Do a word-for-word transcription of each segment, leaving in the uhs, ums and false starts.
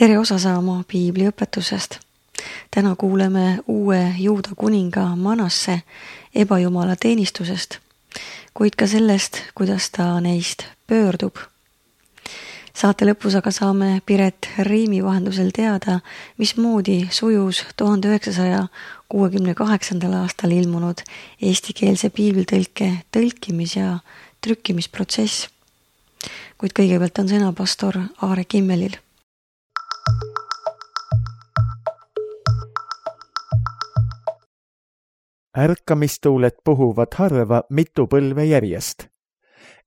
Tere osa saama piibli õpetusest. Täna kuuleme uue Juuda kuninga Manasse ebajumala teenistusest, kuid ka sellest, kuidas ta neist pöördub. Saate lõpus aga saame Piret Riimi vahendusel teada, mismoodi sujus tuhande üheksasaja kuuekümne kaheksandal aastal ilmunud eestikeelse piiblitõlke tõlkimis- ja trükkimisprotsess. Kuid kõigepealt on sõna pastor Aare Kimmelil. Ärkamistuuled puhuvad harva mitu põlve järjest.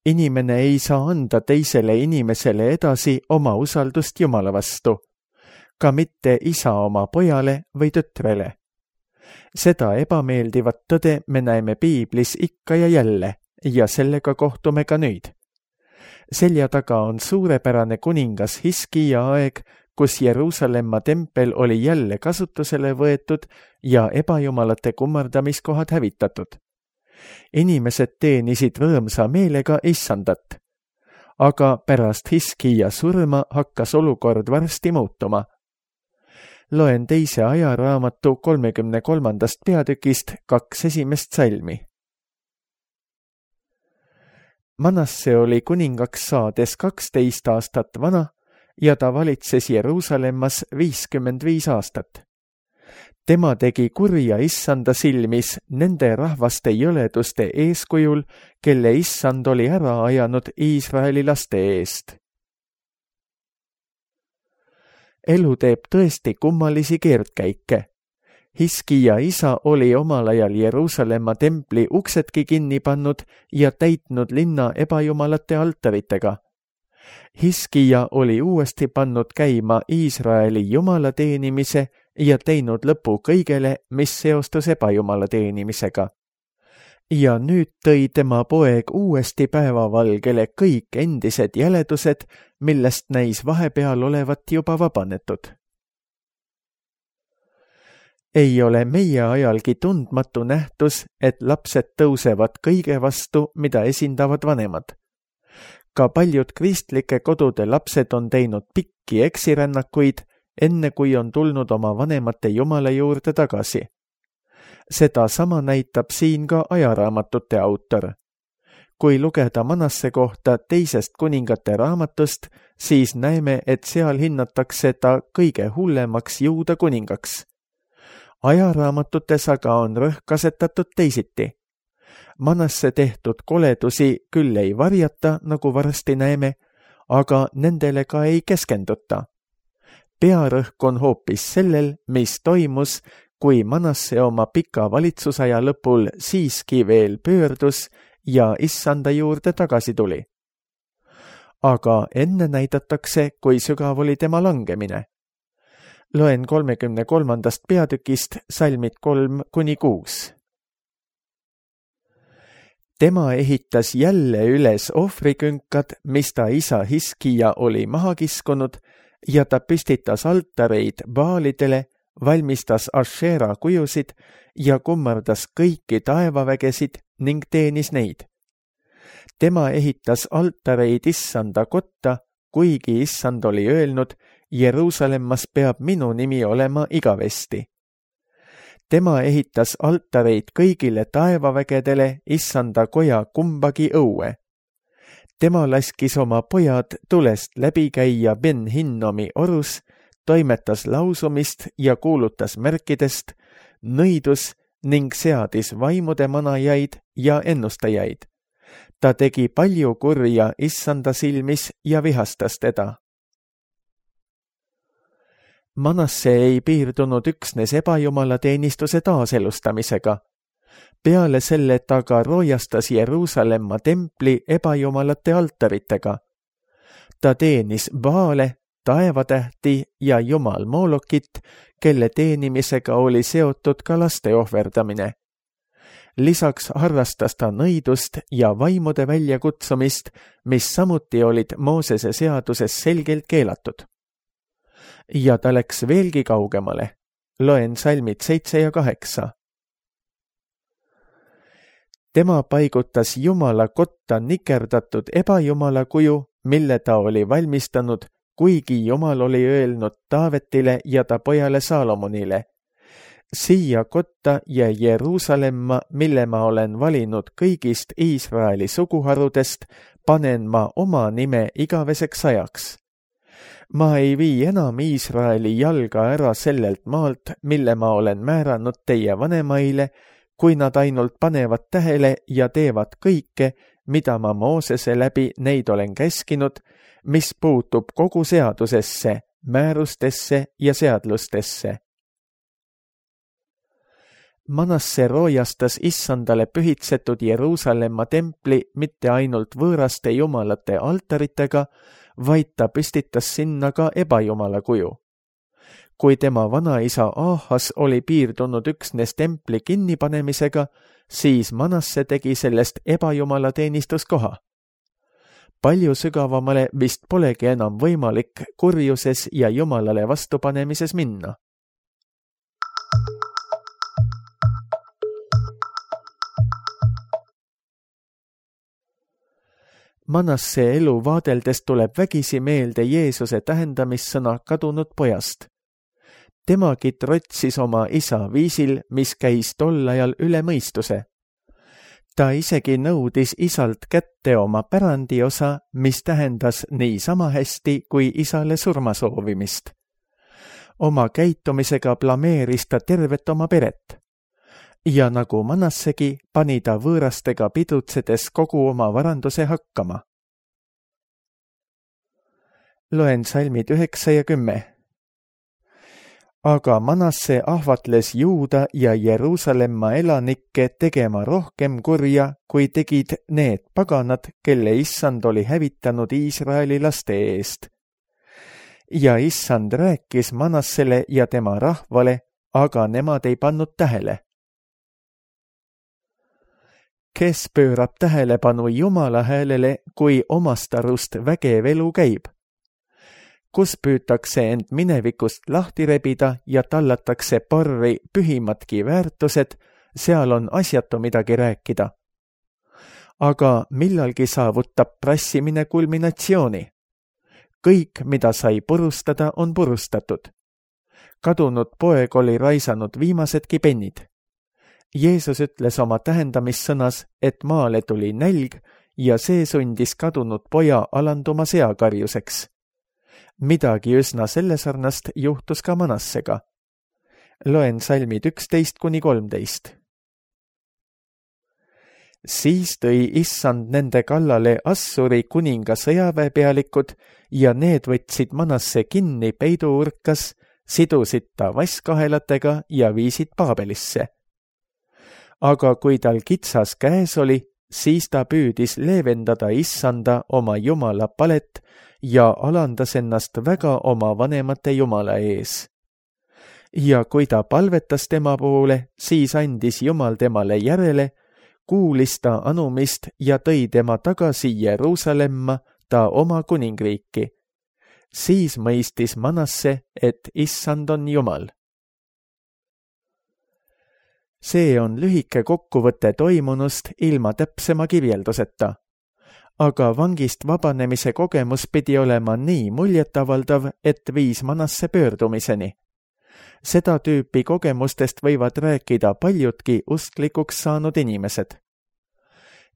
Inimene ei saa anda teisele inimesele edasi oma usaldust Jumala vastu, ka mitte isa oma pojale või tütrele. Seda ebameeldivat tõde me näeme piiblis ikka ja jälle ja sellega kohtume ka nüüd. Selja taga on suurepärane kuningas Hiskija aeg, kus Jeruusalemma tempel oli jälle kasutusele võetud ja ebajumalate kummardamiskohad hävitatud. Inimesed teenisid rõõmsa meelega issandat. Aga pärast Hiskija surma hakkas olukord varsti muutuma. Loen teise ajaraamatu kolmekümne kolmandast peatükist kaks esimest salmi. Manasse oli kuningaks saades kaksteist aastat vana ja ta valitses Jeruusalemmas viiskümmend viis aastat. Tema tegi kurja issanda silmis nende rahvaste jõleduste eeskujul, kelle issand oli ära ajanud Iisraeli laste eest. Elu teeb tõesti kummalisi keerdkäike. Hiskija isa oli omal ajal Jeruusalemma templi uksedki kinni pannud ja täitnud linna ebajumalate altaritega. Hiskija oli uuesti pannud käima Iisraeli jumala teenimise ja teinud lõpu kõigele, mis seostus ebajumala teenimisega. Ja nüüd tõi tema poeg uuesti päevavalgele kõik endised jäledused, millest näis vahepeal olevat juba vabanetud. Ei ole meie ajalgi tundmatu nähtus, et lapsed tõusevad kõige vastu, mida esindavad vanemad. Ka paljud kristlike kodude lapsed on teinud pikki eksirännakuid, enne kui on tulnud oma vanemate Jumala juurde tagasi. Seda sama näitab siin ka ajaraamatute autor. Kui lugeda Manasse kohta teisest kuningate raamatust, siis näeme, et seal hinnatakse ta kõige hullemaks Juuda kuningaks. Ajaraamatutes aga on rõhk asetatud teisiti. Manasse tehtud koledusi küll ei varjata, nagu varsti näeme, aga nendele ka ei keskenduta. Pearõhk on hoopis sellel, mis toimus, kui Manasse oma pika valitsusaja lõpul siiski veel pöördus ja issanda juurde tagasi tuli. Aga enne näidatakse, kui sügav oli tema langemine. Loen kolmekümne kolmandast peatükist salmid kolm kuni kuus. Tema ehitas jälle üles ohvrikünkad, mis ta isa Hiskija oli maha kiskunud, ja ta püstitas altareid baalidele, valmistas Ashera kujusid ja kummardas kõiki taevavägesid ning teenis neid. Tema ehitas altareid issanda kotta, kuigi issand oli öelnud, Jeruusalemmas peab minu nimi olema igavesti. Tema ehitas altareid kõigile taevavägedele issanda koja kumbagi õue. Tema laskis oma pojad tulest läbi käia Ben-Hinnomi orus, toimetas lausumist ja kuulutas märkidest, nõidus ning seadis vaimude manajaid ja ennustajaid. Ta tegi palju kurja issanda silmis ja vihastas teda. Manasse ei piirdunud üksnes ebajumala teenistuse taaselustamisega. Peale selle ta ka roojastas Jeruusalemma templi ebajumalate altaritega. Ta teenis Baale, taevatähti ja jumal Moolokit, kelle teenimisega oli seotud ka laste ohverdamine. Lisaks harrastas ta nõidust ja vaimude väljakutsumist, mis samuti olid Moosese seaduses selgelt keelatud. Ja ta läks veelgi kaugemale. Loen salmid seitse ja kaheksa. Tema paigutas Jumala kotta nikerdatud ebajumala kuju, mille ta oli valmistanud kuigi Jumal oli öelnud Taavetile ja ta pojale Saalomonile: siia kotta ja Jeruusalemma, mille ma olen valinud kõigist Iisraeli suguharudest, panen ma oma nime igaveseks ajaks. Ma ei vii enam Iisraeli jalga ära sellelt maalt, mille ma olen määranud teie vanemaile, kui nad ainult panevad tähele ja teevad kõike, mida ma Moosese läbi neid olen käskinud, mis puutub kogu seadusesse, määrustesse ja seadlustesse. Manasse roojastas Issandale pühitsetud Jeruusalemma templi mitte ainult võõraste jumalate altaritega, vaid ta püstitas sinna ka ebajumala kuju. Kui tema vanaisa Aahas oli piirdunud üksnes templi kinnipanemisega, siis Manasse tegi sellest ebajumala teenistuskoha. Palju sügavamale vist polegi enam võimalik kurjuses ja jumalale vastupanemises minna. Manasse elu vaadeldes tuleb vägisi meelde Jeesuse tähendamissõna kadunud pojast. Temagi trotsis oma isa viisil, mis käis tol ajal üle mõistuse. Ta isegi nõudis isalt kätte oma pärandiosa, mis tähendas nii sama hästi kui isale surma soovimist. Oma käitumisega blameeris ta tervet oma peret. Ja nagu Manassegi, pani ta võõrastega pidutsedes kogu oma varanduse hakkama. Loen salmid üheksa ja kümme. Aga Manasse ahvatles Juuda ja Jeruusalemma elanikke tegema rohkem kurja, kui tegid need paganad, kelle Issand oli hävitanud Iisraeli laste eest. Ja Issand rääkis Manassele ja tema rahvale, aga nemad ei pannud tähele. Kes pöörab tähelepanu Jumala häälele, kui omast arust vägev elu käib? Kus püütakse end minevikust lahti rebida ja tallatakse parri pühimatki väärtused, seal on asjatu midagi rääkida. Aga millalgi saavutab prassimine kulminatsiooni. Kõik, mida sai purustada, on purustatud. Kadunud poeg oli raisanud viimasedki pennid. Jeesus ütles oma tähendamissõnas, et maale tuli nälg ja see sundis kadunud poja alanduma seakarjuseks. Midagi üsna sellesarnast juhtus ka Manassega. Loen salmid üksteist kuni kolmteist. Siis tõi Issand nende kallale Assuri kuninga sõjaväepealikud ja need võtsid Manasse kinni peiduurkas, sidusid ta vasskahelatega ja viisid Paabelisse. Aga kui tal kitsas käes oli, siis ta püüdis leevendada Issanda oma Jumala palet ja alandas ennast väga oma vanemate Jumala ees. Ja kui ta palvetas tema poole, siis andis Jumal temale järele, kuulis ta anumist ja tõi tema tagasi Jeruusalemma, ta oma kuningriiki. Siis mõistis Manasse, et Issand on Jumal. See on lühike kokkuvõte toimunust ilma täpsema kirjelduseta. Aga vangist vabanemise kogemus pidi olema nii muljetavaldav, et viis Manasse pöördumiseni. Seda tüüpi kogemustest võivad rääkida paljudki usklikuks saanud inimesed.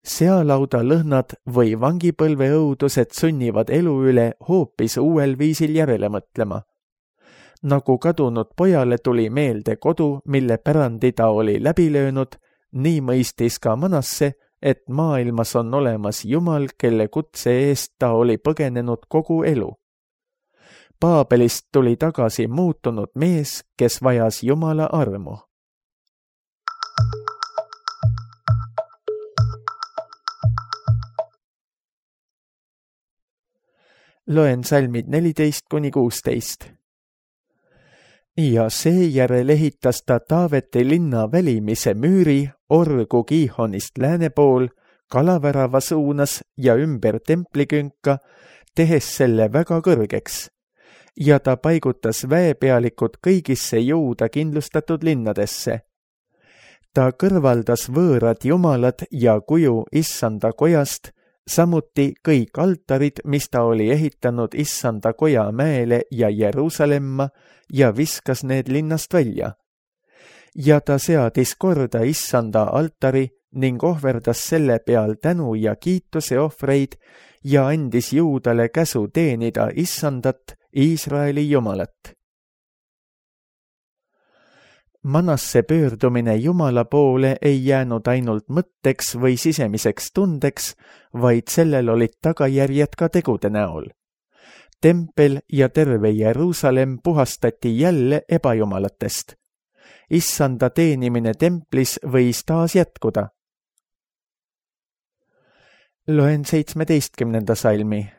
Sealauda lõhnad või vangipõlve õudused sunnivad elu üle hoopis uuel viisil järele mõtlema. Nagu kadunud pojale tuli meelde kodu, mille pärandi ta oli läbi löönud, nii mõistis ka Manasse, et maailmas on olemas Jumal, kelle kutse eest ta oli põgenenud kogu elu. Paabelist tuli tagasi muutunud mees, kes vajas Jumala armu. Loen salmid neliteist kuni kuusteist. Ja seejärel ehitas ta Taaveti linna välimise müüri orgu Kiihonist lääne pool, kalavärava suunas ja ümber templikünka, tehes selle väga kõrgeks. Ja ta paigutas väepealikud kõigisse Juuda kindlustatud linnadesse. Ta kõrvaldas võõrad jumalad ja kuju Issanda kojast, samuti kõik altarid, mis ta oli ehitanud Issanda koja mäele ja Jeruusalemma ja viskas need linnast välja. Ja ta seadis korda Issanda altari ning ohverdas selle peal tänu ja kiituse ohvreid ja andis Juudale käsu teenida Issandat, Iisraeli Jumalat. Manasse pöördumine Jumala poole ei jäänud ainult mõtteks või sisemiseks tundeks, vaid sellel olid tagajärjed ka tegude näol. Tempel ja terve Jeruusalemm puhastati jälle ebajumalatest. Issanda teenimine templis võis taas jätkuda. Loen seitsmeteistkümnenda salmi.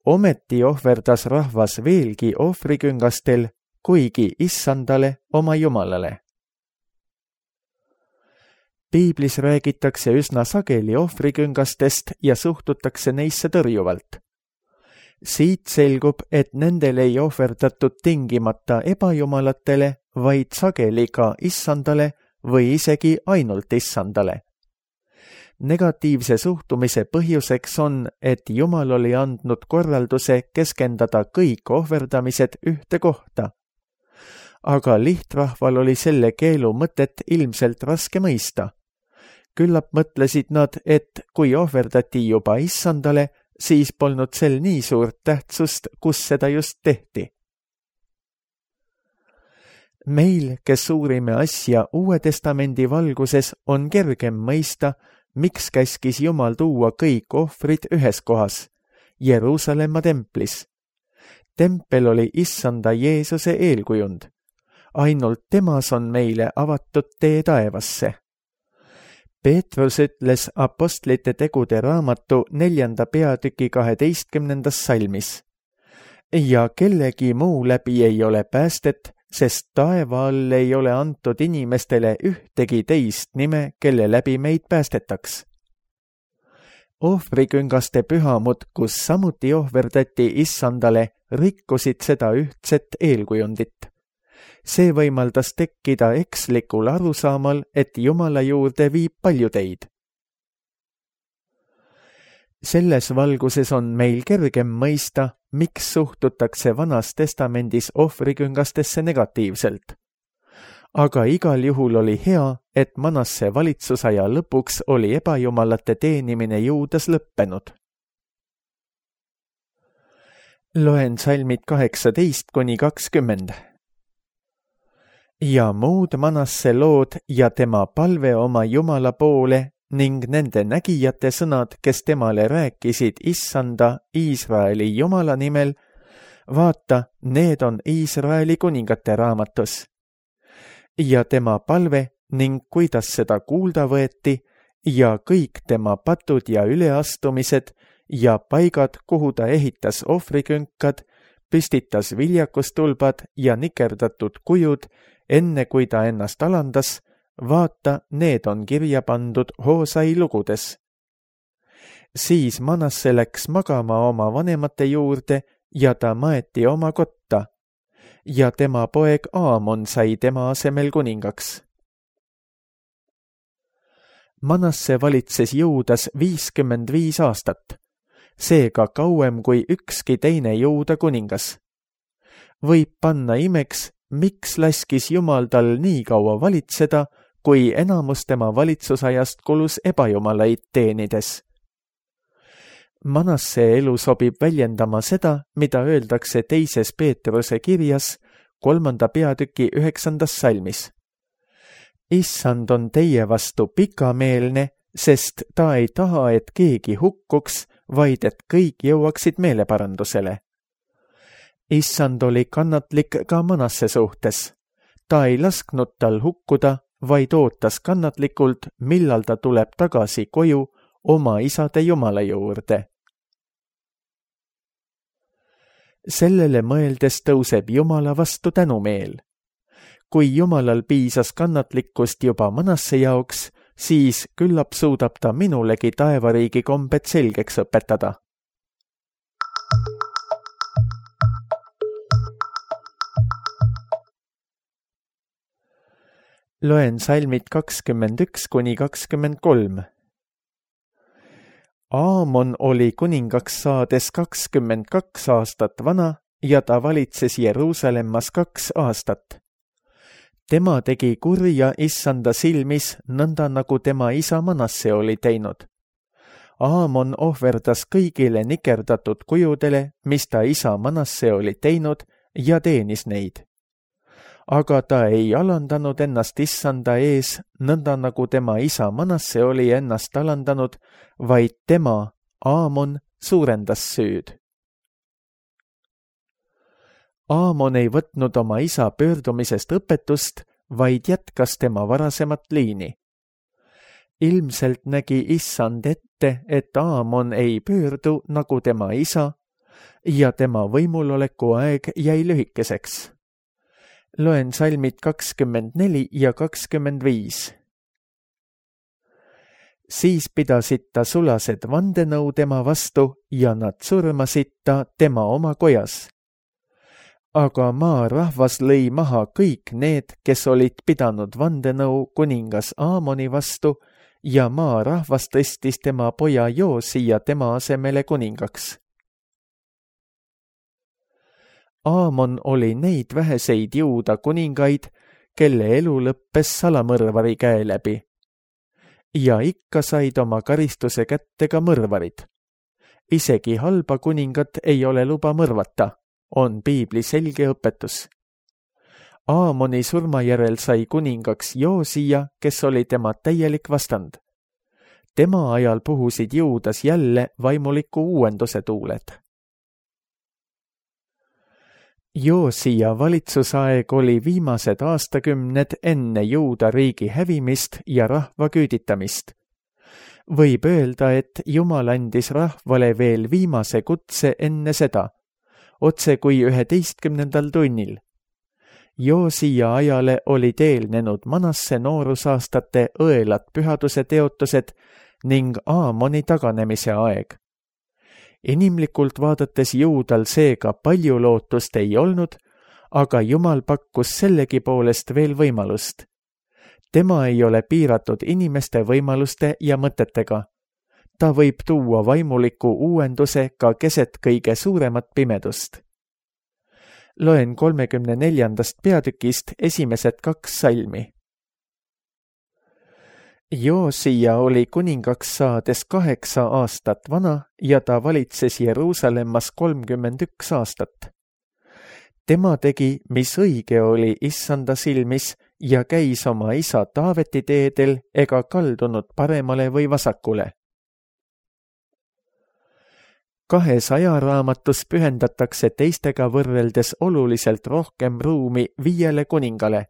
Ometi ohverdas rahvas veelgi ohvriküngastel, kuigi Issandale oma Jumalale. Piiblis räägitakse üsna sageli ohvriküngastest ja suhtutakse neisse tõrjuvalt. Siit selgub, et nendel ei ohverdatud tingimata ebajumalatele, vaid sageli ka Issandale või isegi ainult Issandale. Negatiivse suhtumise põhjuseks on, et Jumal oli andnud korralduse keskendada kõik ohverdamised ühte kohta. Aga lihtrahval oli selle keelu mõtet ilmselt raske mõista. Küllap mõtlesid nad, et kui ohverdati juba Issandale, siis polnud sel nii suurt tähtsust, kus seda just tehti. Meil, kes uurime asja Uue Testamendi valguses, on kergem mõista, miks käskis Jumal tuua kõik ohvrid ühes kohas, Jeruusalemma templis. Tempel oli Issanda Jeesuse eelkujund. Ainult temas on meile avatud tee taevasse. Peetrus ütles Apostlite tegude raamatu neljanda peatüki kaheteistkümnendas salmis. Ja kellegi muu läbi ei ole päästet, sest taeva all ei ole antud inimestele ühtegi teist nime, kelle läbi meid päästetaks. Ohvriküngaste pühamud, kus samuti ohverdati Issandale, rikkusid seda ühtset eelkujundit. See võimaldas tekkida ekslikul arusaamal, et Jumala juurde viib paljudeid. Selles valguses on meil kergem mõista, miks suhtutakse Vanas Testamendis ohvriküngastesse negatiivselt. Aga igal juhul oli hea, et Manasse valitsusaja lõpuks oli ebajumalate teenimine Juudas lõppenud. Loen salmid kaheksateist kuni kakskümmend. Ja muud Manasse lood ja tema palve oma Jumala poole ning nende nägijate sõnad, kes temale rääkisid Issanda, Iisraeli Jumala nimel, vaata, need on Iisraeli kuningate raamatus. Ja tema palve ning kuidas seda kuulda võeti ja kõik tema patud ja üleastumised ja paigad, kuhu ta ehitas ohvrikünkad, püstitas viljakustulbad ja nikerdatud kujud, enne kui ta ennast alandas, vaata, need on kirja pandud Hoosai lugudes. Siis Manasse läks magama oma vanemate juurde ja ta maeti oma kotta ja tema poeg Aamon sai tema asemel kuningaks. Manasse valitses Juudas viiskümmend viis aastat, seega kauem kui ükski teine Juuda kuningas. Võib panna imeks, miks laskis Jumal tal nii kaua valitseda, kui enamus tema valitsusajast kulus ebajumalaid teenides. Manasse elu sobib väljendama seda, mida öeldakse teises Peetruse kirjas, kolmanda peatüki üheksandas salmis. Issand on teie vastu pikameelne, sest ta ei taha, et keegi hukkuks, vaid et kõik jõuaksid meeleparandusele. Issand oli kannatlik ka Manasse suhtes. Ta ei lasknud tal hukkuda, vaid ootas kannatlikult, millal ta tuleb tagasi koju oma isade Jumala juurde. Sellele mõeldes tõuseb Jumala vastu tänumeel. Kui Jumalal piisas kannatlikkust juba Manasse jaoks, siis küllap suudab ta minulegi taevariigi kombed selgeks õpetada. Loen salmid kakskümmend üks kuni kakskümmend kolm. Aamon oli kuningaks saades kakskümmend kaks aastat vana ja ta valitses Jeruusalemmas kaks aastat. Tema tegi kurja issanda silmis nõnda, nagu tema isa Manasse oli teinud. Aamon ohverdas kõigile nikerdatud kujudele, mis ta isa Manasse oli teinud, ja teenis neid. Aga ta ei alandanud ennast issanda ees, nõnda nagu tema isa Manasse oli ennast alandanud, vaid tema, Aamon, suurendas süüd. Aamon ei võtnud oma isa pöördumisest õpetust, vaid jätkas tema varasemat liini. Ilmselt nägi issand ette, et Aamon ei pöördu nagu tema isa ja tema võimuloleku aeg jäi lühikeseks. Loen salmid kakskümmend neli ja kakskümmend viis. Siis pidasid ta sulased vandenõu tema vastu ja nad surmasid ta tema oma kojas. Aga maa rahvas lõi maha kõik need, kes olid pidanud vandenõu kuningas Aamoni vastu ja maa rahvas tõstis tema poja Joosia tema asemele kuningaks. Aamon oli neid väheseid juuda kuningaid, kelle elu lõppes salamõrvari käe läbi. Ja ikka said oma karistuse kätte ka mõrvarid. Isegi halba kuningat ei ole luba mõrvata, on piibli selge õpetus. Aamoni surma järel sai kuningaks Joosia, kes oli tema täielik vastand. Tema ajal puhusid Juudas jälle vaimuliku uuenduse tuuled. Joosia valitsusaeg oli viimased aastakümned enne Juuda riigi hävimist ja rahva küüditamist. Võib öelda, et Jumal andis rahvale veel viimase kutse enne seda, otse kui üheteistkümnendal tunnil. Joosia ajale olid eelnenud Manasse noorusaastate õelad pühaduse teotused ning Aamoni taganemise aeg. Inimlikult vaadates Juudal seega palju lootust ei olnud, aga Jumal pakkus sellegi poolest veel võimalust. Tema ei ole piiratud inimeste võimaluste ja mõtetega. Ta võib tuua vaimuliku uuenduse ka keset kõige suuremat pimedust. Loen kolmekümne neljandast peatükist esimesed kaks salmi. Joosia oli kuningaks saades kaheksa aastat vana ja ta valitses Jeruusalemmas kolmkümmend üks aastat. Tema tegi, mis õige oli issanda silmis ja käis oma isa Taaveti teedel ega kaldunud paremale või vasakule. Kahes ajaraamatus pühendatakse teistega võrreldes oluliselt rohkem ruumi viiele kuningale,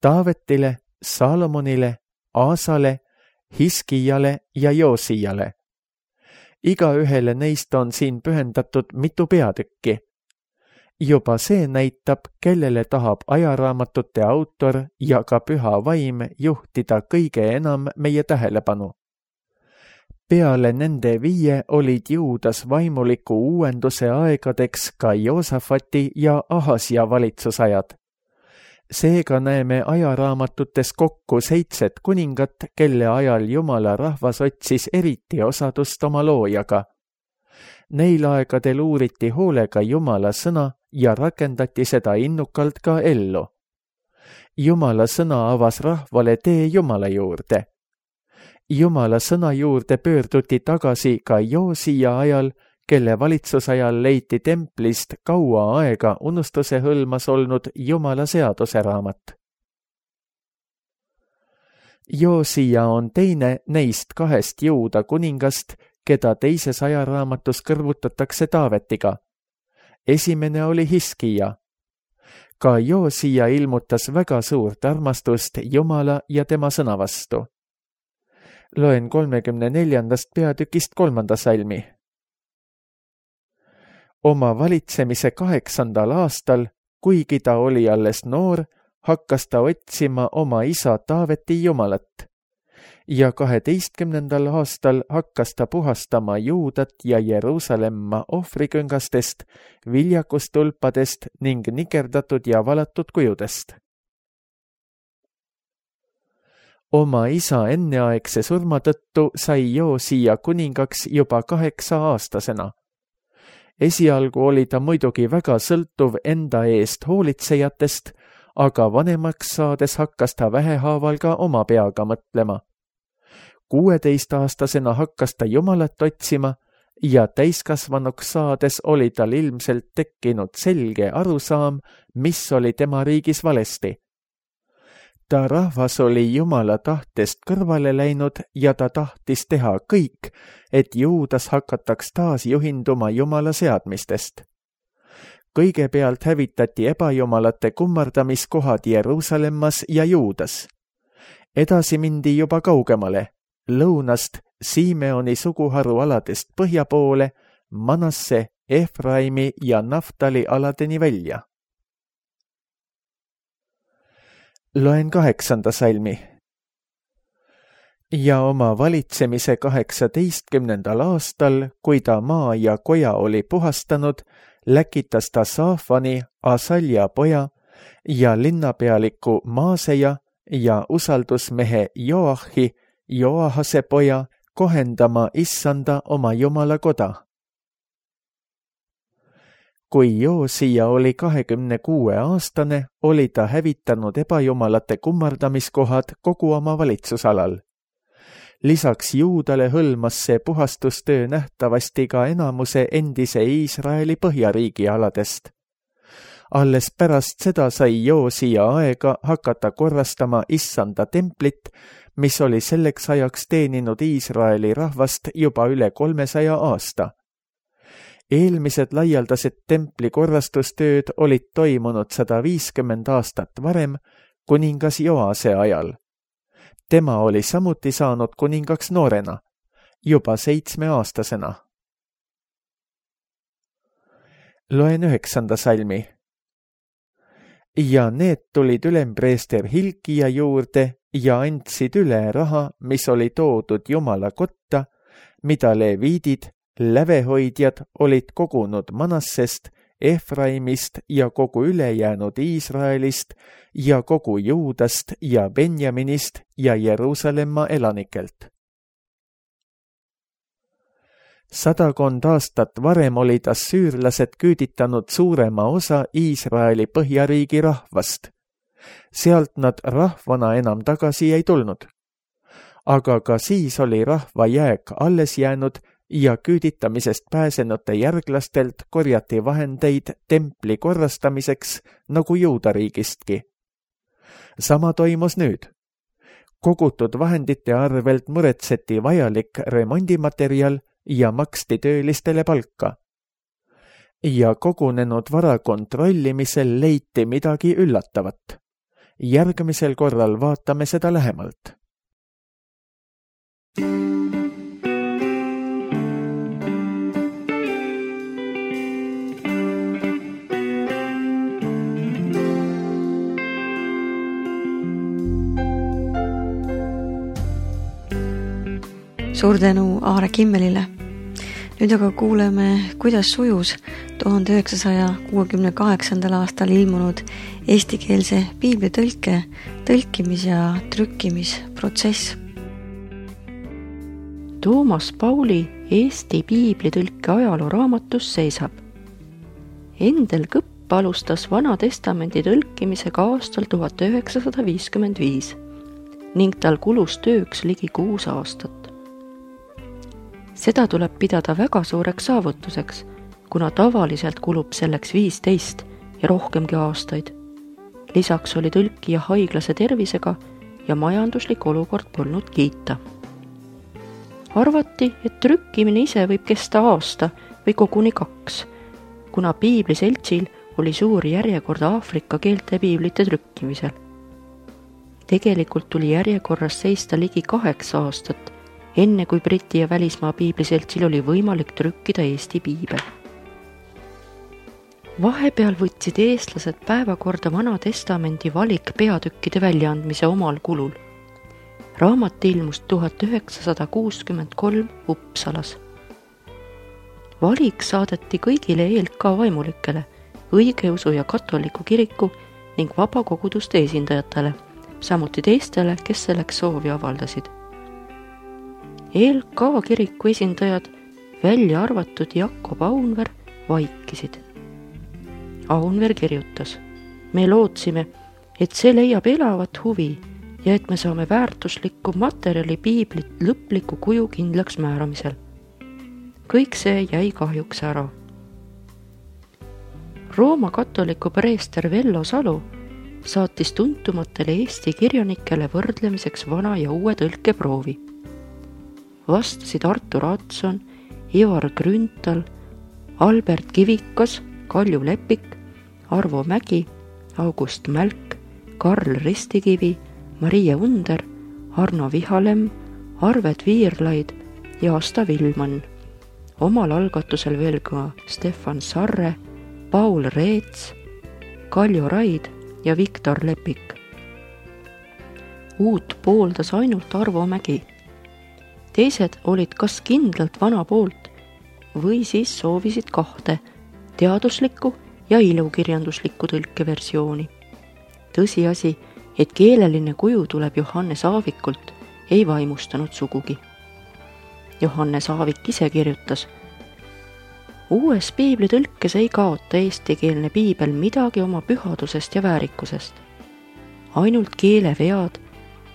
Taavetile, Saalomonile, Aasale, Hiskijale ja Joosijale. Iga ühele neist on siin pühendatud mitu peatükki. Juba see näitab, kellele tahab ajaraamatute autor ja ka püha vaim juhtida kõige enam meie tähelepanu. Peale nende viie olid Juudas vaimuliku uuenduse aegadeks ka Joosafati ja Ahasja valitsusajad. Seega näeme ajaraamatutes kokku seitset kuningat, kelle ajal Jumala rahvas otsis eriti osadust oma loojaga. Neil aegadel uuriti hoolega Jumala sõna ja rakendati seda innukalt ka ellu. Jumala sõna avas rahvale tee Jumala juurde. Jumala sõna juurde pöörduti tagasi ka Joosia ajal, kelle valitsusajal leiti templist kaua aega unustuse hõlmas olnud Jumala seaduse raamat. Joosia on teine neist kahest Juuda kuningast, keda teises ajaraamatus kõrvutatakse Taavetiga. Esimene oli Hiskija. Ka Joosia ilmutas väga suurt armastust Jumala ja tema sõna vastu. Loen kolmekümne neljandast peatükist kolmanda salmi. Oma valitsemise kaheksandal aastal, kuigi ta oli alles noor, hakkas ta otsima oma isa Taaveti Jumalat. Ja kaheteistkümnendal aastal hakkas ta puhastama Juudat ja Jeruusalemma ohvriküngastest, viljakustulpadest ning nikerdatud ja valatud kujudest. Oma isa enneaegse surma tõttu sai Joosia kuningaks juba kaheksa aastasena. Esialgu oli ta muidugi väga sõltuv enda eest hoolitsejatest, aga vanemaks saades hakkas ta vähehaaval ka oma peaga mõtlema. kuueteistaastasena hakkas ta Jumalat otsima ja täiskasvanuks saades oli tal ilmselt tekkinud selge arusaam, mis oli tema riigis valesti. Ta rahvas oli Jumala tahtest kõrvale läinud ja ta tahtis teha kõik, et Juudas hakataks taas juhinduma Jumala seadmistest. Kõigepealt hävitati ebajumalate kummardamiskohad Jeruusalemmas ja Juudas. Edasi mindi juba kaugemale, lõunast Simeoni suguharu aladest põhja poole, Manasse, Efraimi ja Naftali aladeni välja. Loen kaheksanda salmi. Ja oma valitsemise kaheksateistkümnendal aastal, kui ta maa ja koja oli puhastanud, läkitas ta Saafani, Asalja poja ja linnapealiku Maaseja ja usaldusmehe Joahi, Joahase poja, kohendama issanda oma Jumala koda. Kui Joosia oli kahekümne kuue aastane, oli ta hävitanud ebajumalate kummardamiskohad kogu oma valitsusalal. Lisaks Juudale hõlmas see puhastustöö nähtavasti ka enamuse endise Iisraeli põhjariigi aladest. Alles pärast seda sai Joosia aega hakata korrastama issanda templit, mis oli selleks ajaks teeninud Iisraeli rahvast juba üle kolmesaja aasta. Eelmised laialdased templi korrastustööd olid toimunud sada viiskümmend aastat varem, kuningas Joase ajal. Tema oli samuti saanud kuningaks noorena, juba seitsmeaastasena. Loen üheksanda salmi. Ja need tulid ülempreester Hilkia juurde ja andsid üle raha, mis oli toodud Jumala kotta, mida leviidid, lävehoidjad olid kogunud Manassest, Efraimist ja kogu ülejäänud Iisraelist ja kogu Juudast ja Benjaminist ja Jeruusalemma elanikelt. Sadakond aastat varem olid assüürlased küüditanud suurema osa Iisraeli põhjariigi rahvast. Sealt nad rahvana enam tagasi ei tulnud. Aga ka siis oli rahva jääk alles jäänud ja küüditamisest pääsenute järglastelt korjati vahendeid templi korrastamiseks nagu Juudariigistki. Sama toimus nüüd. Kogutud vahendite arvelt muretseti vajalik remondimaterjal ja maksti töölistele palka. Ja kogunenud vara kontrollimisel leiti midagi üllatavat. Järgmisel korral vaatame seda lähemalt. Suur tänu Aare Kimmelile. Nüüd aga kuuleme, kuidas sujus tuhande üheksasaja kuuekümne kaheksandal aastal ilmunud eestikeelse piiblitõlke, tõlkimis- ja trükkimisprotsess. Toomas Pauli Eesti piiblitõlke ajalooraamatus seisab. Endel Kõpp alustas Vana Testamendi tõlkimisega aastal tuhat üheksasada viiskümmend viis ning tal kulus tööks ligi kuus aastat. Seda tuleb pidada väga suureks saavutuseks, kuna tavaliselt kulub selleks viisteist ja rohkemgi aastaid. Lisaks oli tõlkija haiglase tervisega ja majanduslik olukord polnud kiita. Arvati, et trükkimine ise võib kesta aasta või koguni kaks, kuna piibliseltsil oli suur järjekord Aafrika keelte piiblite trükkimisel. Tegelikult tuli järjekorras seista ligi kaheksa aastat, enne kui Briti ja välismaa piibliseltsil oli võimalik trükkida Eesti piibel. Vahepeal võtsid eestlased päevakorda Vana Testamendi valik peatükkide väljaandmise omal kulul. Raamat ilmus tuhat üheksasada kuuskümmend kolm Uppsalas. Valik saadeti kõigile E L K vaimulikele, õigeusu ja katoliku kiriku ning vabakoguduste esindajatele, samuti teistele, kes selleks soovi avaldasid. E L K kiriku esindajad, välja arvatud Jakob Aunver, vaikisid. Aunver kirjutas: me lootsime, et see leiab elavat huvi ja et me saame väärtuslikku materjali piiblit lõpliku kuju kindlaks määramisel. Kõik see jäi kahjuks ära. Rooma katoliku preester Vello Salu saatis tuntumatele Eesti kirjanikele võrdlemiseks vana ja uue tõlkeproovi. Vastasid Artur Adson, Ivar Grünthal, Albert Kivikas, Kalju Lepik, Arvo Mägi, August Mälk, Karl Ristikivi, Marie Under, Arno Vihalem, Arvet Viirlaid ja Asta Vilman. Omal algatusel veel ka Stefan Sarre, Paul Reets, Kaljo Raid ja Viktor Lepik. Uut pooldas ainult Arvo Mägi. Teised olid kas kindlalt vana poolt või siis soovisid kahte, teaduslikku ja ilukirjanduslikku tõlkeversiooni. Tõsiasi, et keeleline kuju tuleb Johannes Aavikult, ei vaimustanud sugugi. Johannes Aavik ise kirjutas: uues piiblitõlkes ei kaota eestikeelne piibel midagi oma pühadusest ja väärikusest. Ainult keelevead,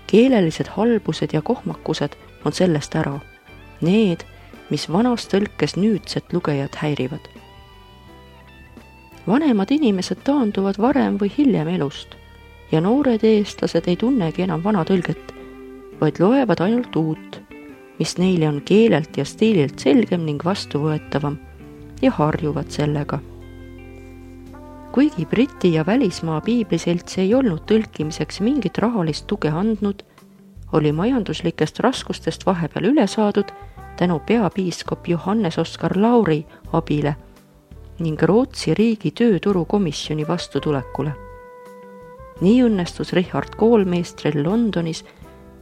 keelelised halbused ja kohmakused on sellest ära. Need, mis vanas tõlkes nüüdset lugejat häirivad. Vanemad inimesed taanduvad varem või hiljem elust ja noored eestlased ei tunnegi enam vana tõlget, vaid loevad ainult uut, mis neile on keelelt ja stiililt selgem ning vastuvõetavam ja harjuvad sellega. Kuigi Briti ja välismaa piibliselts ei olnud tõlkimiseks mingit rahalist tuge andnud, oli majanduslikest raskustest vahepeal üle saadud tänu peapiiskop Johannes Oskar Lauri abile ning Rootsi riigi tööturukomisjoni vastutulekule. Nii õnnestus Richard Koolmeistril Londonis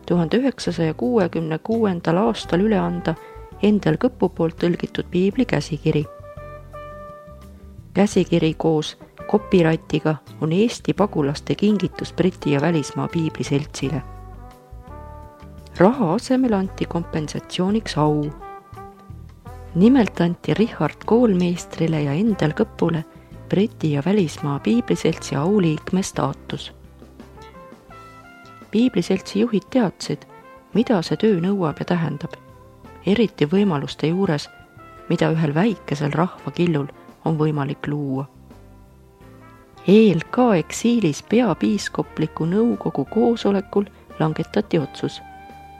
tuhande üheksasaja kuuekümne kuuendal aastal üle anda Endel Kõpu poolt tõlgitud piibli käsikiri. Käsikiri koos copyrightiga on Eesti pagulaste kingitus Briti ja välismaa piibliseltsile. Raha asemel anti kompensatsiooniks au. Nimelt anti Richard Koolmeistrile ja Endel Kõpule Briti ja välismaa piibliseltsi auliikme staatus. Piibliseltsi juhid teadsid, mida see töö nõuab ja tähendab, eriti võimaluste juures, mida ühel väikesel rahvakillul on võimalik luua. E L K eksiilis peapiiskopliku nõukogu koosolekul langetati otsus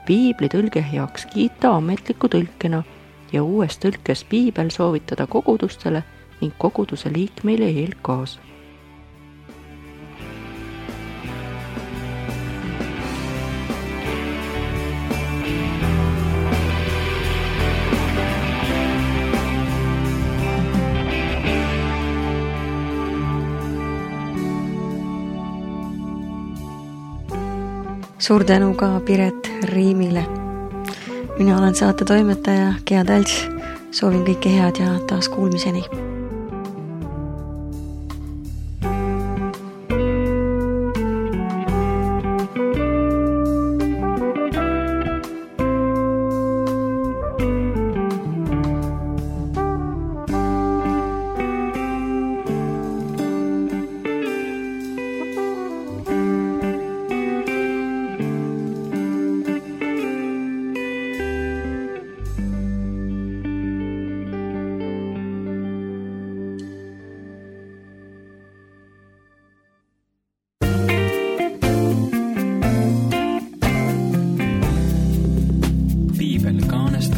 piibli tõlge heaks kiita ametliku tõlkena ja uues tõlkes piibel soovitada kogudustele ning koguduse liikmeile E L K-s. Suur tänu ka Piret Riimile. Mina olen saate toimetaja Gea Talts. Soovin kõike head ja taas kuulmiseni. Piibel kaanest